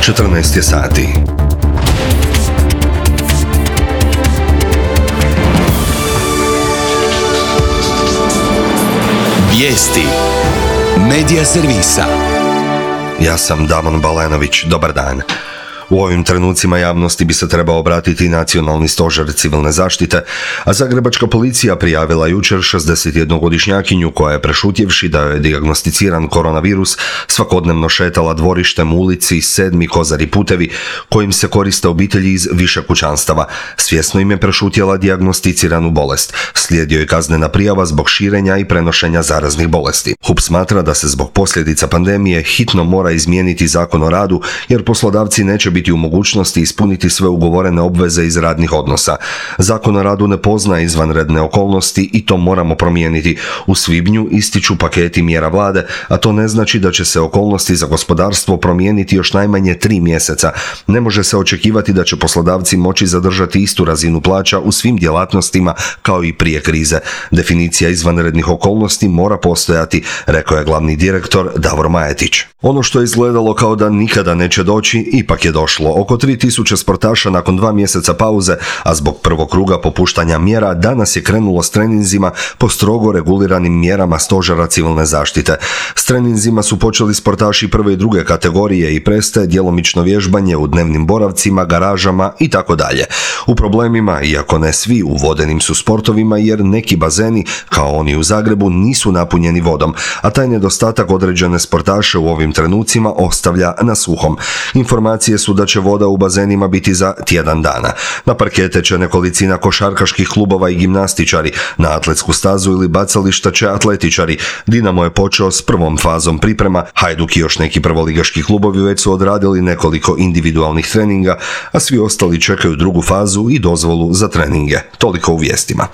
14 je sati. Vijesti Medija servisa. Ja sam Damon Balenović, dobar dan. U ovim trenucima javnosti bi se trebao obratiti Nacionalni stožer civilne zaštite, a zagrebačka policija prijavila jučer 61-godišnjakinju koja je, prešutjevši da je dijagnosticiran koronavirus, svakodnevno šetala dvorištem u ulici 7. Kozari putevi kojim se koriste obitelji iz više kućanstava. Svjesno im je prešutjela dijagnosticiranu bolest. Slijedio je kaznena prijava zbog širenja i prenošenja zaraznih bolesti. HUP smatra da se zbog posljedica pandemije hitno mora izmijeniti Zakon o radu, jer poslodavci neće biti u mogućnosti ispuniti sve ugovorene obveze iz radnih odnosa. Zakon o radu ne poznaje izvanredne okolnosti i to moramo promijeniti. U svibnju ističu paketi mjera vlade, a to ne znači da će se okolnosti za gospodarstvo promijeniti još najmanje 3 mjeseca. Ne može se očekivati da će poslodavci moći zadržati istu razinu plaća u svim djelatnostima kao i prije krize. Definicija izvanrednih okolnosti mora postojati, rekao je glavni direktor Davor Majetić. Ono što je izgledalo kao da nikada neće doći, ipak je došlo. Oko 3000 sportaša nakon 2 mjeseca pauze, a zbog prvog kruga popuštanja mjera, danas je krenulo s treninzima po strogo reguliranim mjerama stožera civilne zaštite. S treninzima su počeli sportaši prve i druge kategorije i prestaje djelomično vježbanje u dnevnim boravcima, garažama i tako dalje. U problemima, iako ne svi, u vodenim su sportovima jer neki bazeni, kao oni u Zagrebu, nisu napunjeni vodom, a taj nedostatak određene sportaše u ovim trenucima ostavlja na suhom. Informacije su da će voda u bazenima biti za tjedan dana. Na parkete će nekolicina košarkaških klubova i gimnastičari, na atletsku stazu ili bacališta će atletičari. Dinamo je počeo s prvom fazom priprema, Hajduk i još neki prvoligaški klubovi već su odradili nekoliko individualnih treninga, a svi ostali čekaju drugu fazu i dozvolu za treninge. Toliko u vijestima.